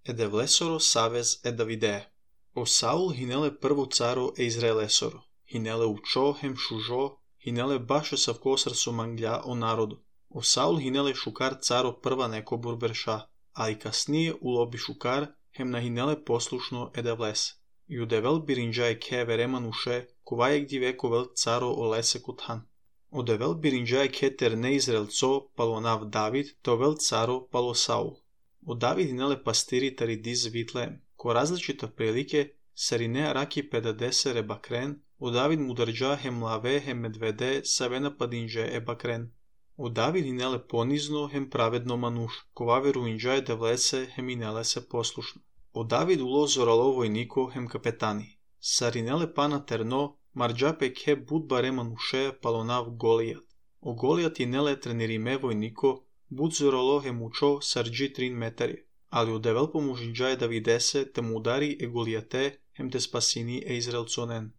Edev lesoro savez e Davidea. O Saul hinele prvu caro e Izraelesoro. Hinele učo hem šužo, hinele baše savkosar su manglja o narodu. O Saul hinele šukar caro prva neko burberša, ali kasnije ulobi šukar hem na hinele poslušno edev les. I udevel birinđaje ke vereman uše, kovajek divekovel caro o lese kuthan. Odevel birinđaje keter ne Izraelco, palo nav David, tovel caro palo Saul. O David hinele pastiri tari diz Vitleem. Ko različita prilike, sarine raki pedadese rebakren, o David mudarđa hem lave hem medvede savena padinđe e bakren. O David hinele ponizno hem pravedno manuš, kovaveru inđaje devlese hem inele se poslušno. O David ulo zoralo vojniko hem kapetani. Sarinele pana terno, marđape ke bud bare manuše palonav Golijat. O Golijat hinele trenirime vojniko, bud zoralo hem učo sarđi 3 metari. Ali u devel pomužinđaje Davidese te mu udari e Golijate hem te spasini e Izraelconen.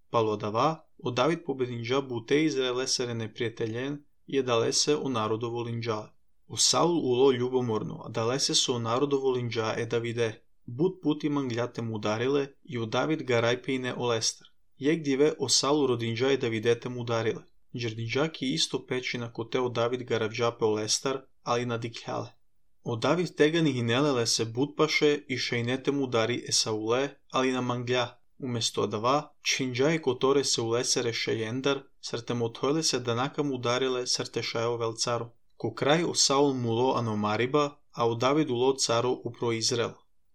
Palo dava, o David pobedinđa bute Izraelesere neprijateljen i dalese o narodovo linđale. O Saul ulo ljubomorno, a dalese su o narodovo linđa e Davide. Bud puti mangljate mu udarile i o David garajpejne o Lester. Jek dive o Saul rodinđa e Davidete mu udarile. Džerdinđaki isto pećina kote o David garavđape o Lester, ali nadikljale. O David tegani hinelele se budpaše i šejnete mu udari e Saule, ali na manglja. Umesto dava, činđaje kotore se ulesere šejendar, srte motojle se danaka mu udarile srte šajo velcaro. Ko kraj o Saul mulo anomariba, a o David ulo caro upro Izrael.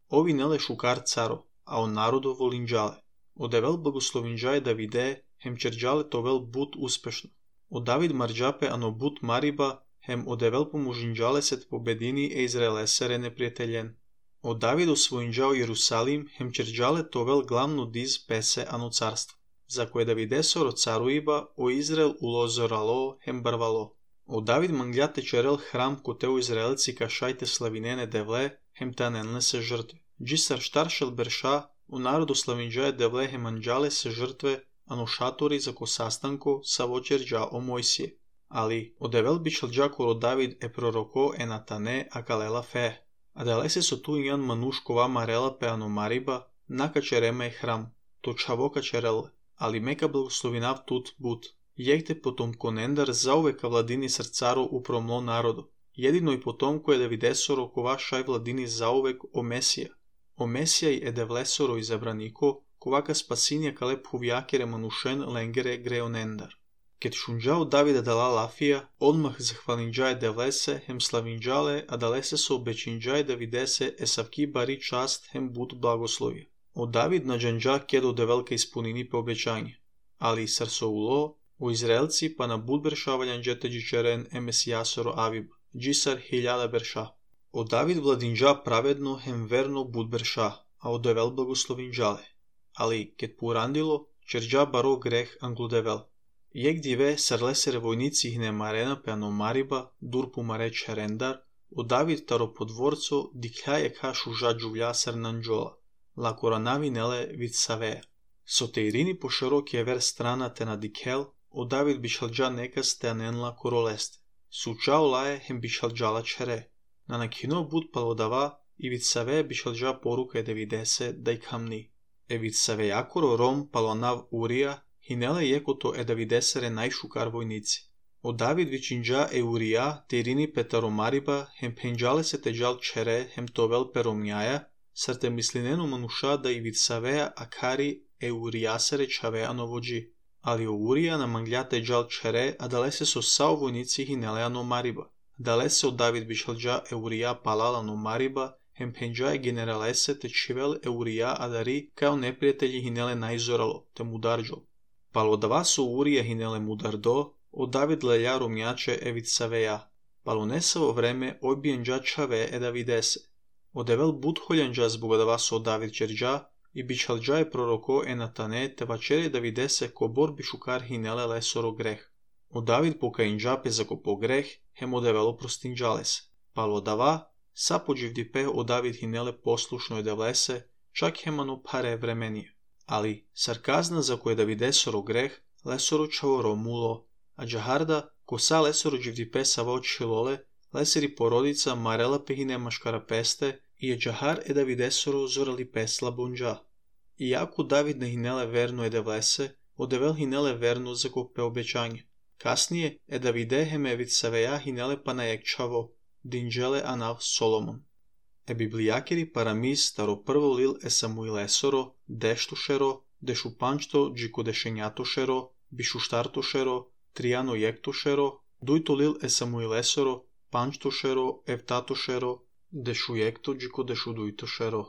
Ovi nele šukar caro, a o narodo volinđale. O devel blagoslovinđaje Davide, hem čerđale tovel bud uspešno. O David marđape ano bud mariba, hem o devel pomužinđale set pobedini e Izraelesere neprijateljen. O David osvojinđao Jerusalim, hem čerđale tovel glavno diz pese ano carstvo. Za koje Davidesoro caruiba, o Izrael ulo zoralo, hem barvalo. O David mangljate čerel hram koteu Izraelci kašajte slavinene devle, hem tanenle se žrtve. Džisar štaršel berša, u narodu slavinđaje devle hem anđale se žrtve, ano šatori za ko sastanko sa vočerđa o Mojsije. Ali, o devel bišel džakolo David e proroko e natane a kalela fe. A dalese su tu ijan manuškova marela pe ano mariba, naka čereme e hram, to čavoka čerele, ali meka blagoslovinav tut but. Jekte potom konendar zauveka vladini srcaro upromlo narodu. Jedino i potom koje Davidesoro kova šaj vladini zauvek o Mesija. O Mesija i edevlesoro izabraniko, kovaka spasinja kalep huvjakere manušen lengere greonendar. Ket šunđao Davida dala lafija, odmah zahvalinđaje devlese hem slavinđale, a dalese su obećinđaje Davidese esavki bari čast hem bud blagoslovija. O David nađanđa kedo develka ispunini pe obećanje. Ali i sarsoulo, o Izraelci pa na bud beršavaljan džeteđi čeren emesijasoro avib, džisar hiljada berša. O David vladinđa pravedno hem verno bud berša, a o devel blagoslovinđale. Ali, ket purandilo, čerđa baro greh angludevel. Jek dive sarlesere vojnici hne marena pe ano mariba, durpu mare čerendar, o David taro podvorco dikljaje kašu žađuvlja sarnanđola, la koranavi nele vid savea. Soteirini po široki ver strana te na dikel, o David bišalđa nekas te anenla koroleste. Sučao laje hem bišalđala čere. Na nakino bud palodava i vid savea bišalđa poruka Davidese da i kamni. E vid savejakoro rom palonav Urija, hinele jekoto e Davidesere najšukar vojnici. O David vičinđa e Urija te irini petaromariba hem penđale se teđal čere hem tovel peromnjaja, srte mislinenu manuša da i vid savea akari e Urijasere čaveano vođi. Ali o Urija na mangljate džal čere, a dalese su sao vojnici hinele ano mariba. Dalese o David bišalđa e Urija palala no mariba, hem penđaje generalese te čivel e Urija adari kao neprijatelji hinele najzoralo, te mudarđol. Palo dva su Urija hinele mudardo, o David lelja romjače e vid saveja. Palo nesavo vreme odbijenđa čave e Davidese. O devel budholjanđa zbog dva su o David čerđa, i bičalđa je proroko e natane te vačere Davidese ko borbi šukar hinele lesoro greh. O David pokajinđa pe zako po greh, hem o develo prostinđales. Palo dava, sapođivdipe o David hinele poslušno je devlese, čak hemano pare vremenije. Ali, sarkazna za koje Davidesoro greh, lesoro čavoro mulo, a džaharda, ko sa lesoro dživdipe savo čilole, leseri porodica marela pehine maškarapeste, e Джахар е Давидесоро зорали песла бунджа. Иако Давид не хинеле верно е да влесе, одевел хинеле верно за копе обеќање. Каснije е Давиде хемевит савеја хинеле панаекчаво, динджеле анав Соломон. Е библијакери парамис старо прво лил е Самуилесоро, дештушеро, дешупанчто джикодешењатошеро, бишуштартошеро, Тријано јектошеро, дујто лил е Самуилесоро, панчтошеро, евтатошеро, дешујекто джикодешудујтошеро.